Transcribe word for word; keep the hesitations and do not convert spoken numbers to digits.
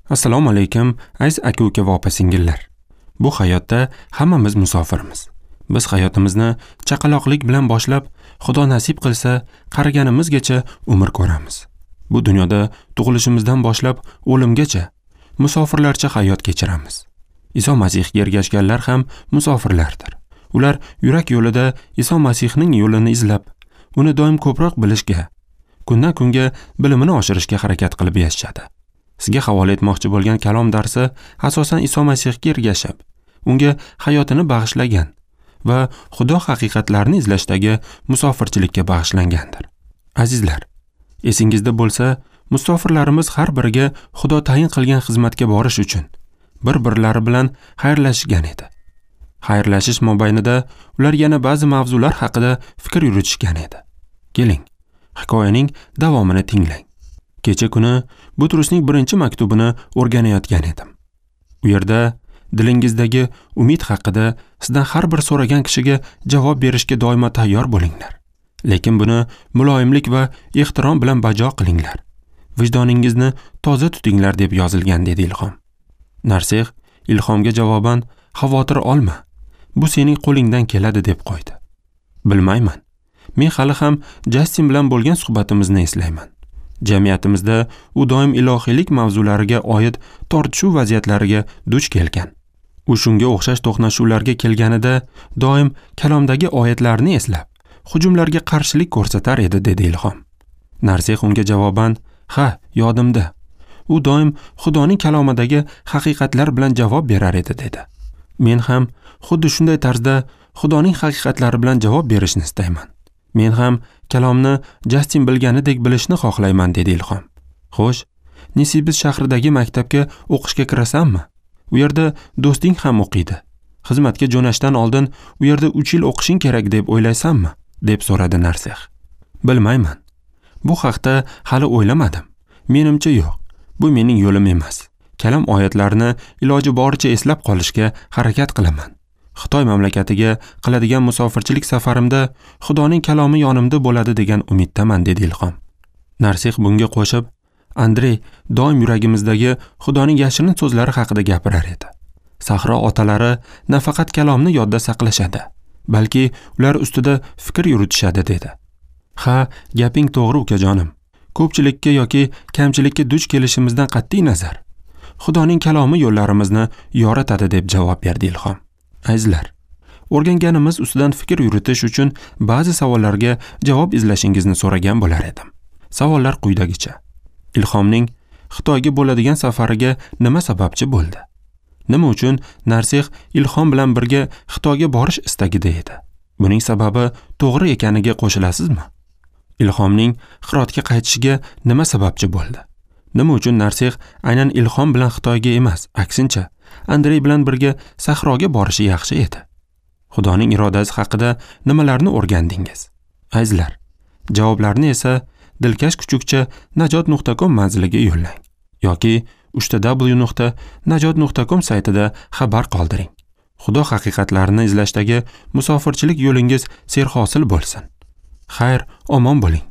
Assalomu alaykum, aziz aka-uka va opa-singillar. Bu hayotda hammamiz musofirmiz. Biz hayotimizni chaqaloqlik bilan boshlab, Xudo nasib qilsa, qariganimizgacha umr ko'ramiz. Bu dunyoda tug'ilishimizdan boshlab o'limgacha musofirlarcha hayot kechiramiz. Iso Masihga ergashganlar ham musofirlardir. Ular yurak yo'lida Iso Masihning yo'lini izlab, uni doim ko'proq bilishga, kundan kunga bilimini oshirishga harakat qilib yashashadi. Sizga havola etmoqchi bo'lgan kalom darsi asosan Iso Masihga ergashib, unga hayotini bag'ishlagan va Xudo haqiqatlarini izlashdagi musofirchilikka bag'ishlangandir. Azizlar, esingizda bo'lsa, musofirlarimiz har biriga Xudo tayin qilgan xizmatga borish uchun bir-birlari bilan xayrlashgan edi. Xayrlashish mobaynida ular yana ba'zi mavzular haqida fikr yuritishgan edi. Keling, hikoyaning davomini tinglang. Kecha kuni Butrusning birinchi maktubini o'rganayotgan edim. U yerda dilingizdagi umid haqida sizdan har bir so'ragan kishiga javob berishga doimo tayyor bo'linglar. Lekin buni muloyimlik va ehtirom bilan bajo qilinglar. Vijdoningizni toza tutinglar deb yozilgan, dedi Ilhom. Narseh Ilhomga javoban xavotir olma. Bu sening qo'lingdan keladi deb qo'ydi. Bilmayman. Men hali ham Jastin bilan bo'lgan suhbatimizni eslayman. Jamiyatimizda u doim ilohiylik mavzulariga oid tortishuv vaziyatlariga duch kelgan. U shunga o'xshash to'qnashuvlarga kelganida doim kalomdagi oyatlarni eslab, hujumlarga qarshilik ko'rsatar edi, dedi Ilhom. Narseh unga javoban, "Ha, yodimda. U doim Xudoning kalomidagi haqiqatlar bilan javob berar edi", dedi. Men ham xuddi shunday tarzda Xudoning haqiqatlari bilan javob berishni istayman. Men ham kalomni Jastin bilganidek bilishni xohlayman, dedi Ilhom. Xo'sh, Nisibis shahridagi maktabga o'qishga kirasanmi? U yerda do'sting ham o'qiydi. Xizmatga jo'nashdan oldin u yerda uch yil o'qishing kerak deb o'ylaysanmi? Deb so'radi Narseh. Bilmayman. Bu haqda hali o'ylamadim. Menimcha yo'q. Bu mening yo'lim emas. Kalom oyatlarini iloji boricha eslab qolishga harakat qilaman. Xitoy mamlakatiga qiladigan musofirchilik safarimda Xudoning kalomi yonimda bo'ladi degan umiddaman, dedi Ilhom. Narseh bunga qo'shib, Andrey doim yuragimizdagi Xudoning yashirin so'zlari haqida gapirar edi. Sahro otalari nafaqat kalomni yodda saqlashadi, balki ular ustida fikr yuritishadi, dedi. Ha, gaping to'g'ri ukajonim. Ko'pchilikka yoki kamchilikka duch kelishimizdan qat'iy nazar, Xudoning kalomi yo'llarimizni yoritadi, deb javob berdi Ilhom. Azizlar, o'rganganimiz ustidan fikr yuritish uchun ba'zi savollarga javob izlashingizni so'ragan bo'lar edim. Savollar quyidagicha. Ilhomning Xitoyga bo'ladigan safariga nima sababchi bo'ldi? Nima uchun Narseh Ilhom bilan birga Xitoyga borish istagida edi? Buning sababi to'g'ri ekaniga qo'shilasizmi? Ilhomning Xirotga qaytishiga nima sababchi bo'ldi? Nima uchun Narseh aynan Ilhom bilan Xitoyga emas, aksincha Andrey bilan birga sahroga borishi yaxshi edi? Xudoning irodasi haqida nimalarni o'rgandingiz? Azizlar, javoblarni esa dilkash kuchukcha najot nuqta com manziliga yo'llang yoki uchta w nuqta najot nuqta com saytida xabar qoldiring. Xudo haqiqatlarini izlashdagi musofirchilik yo'lingiz serhosil bo'lsin. Xayr, omon bo'ling.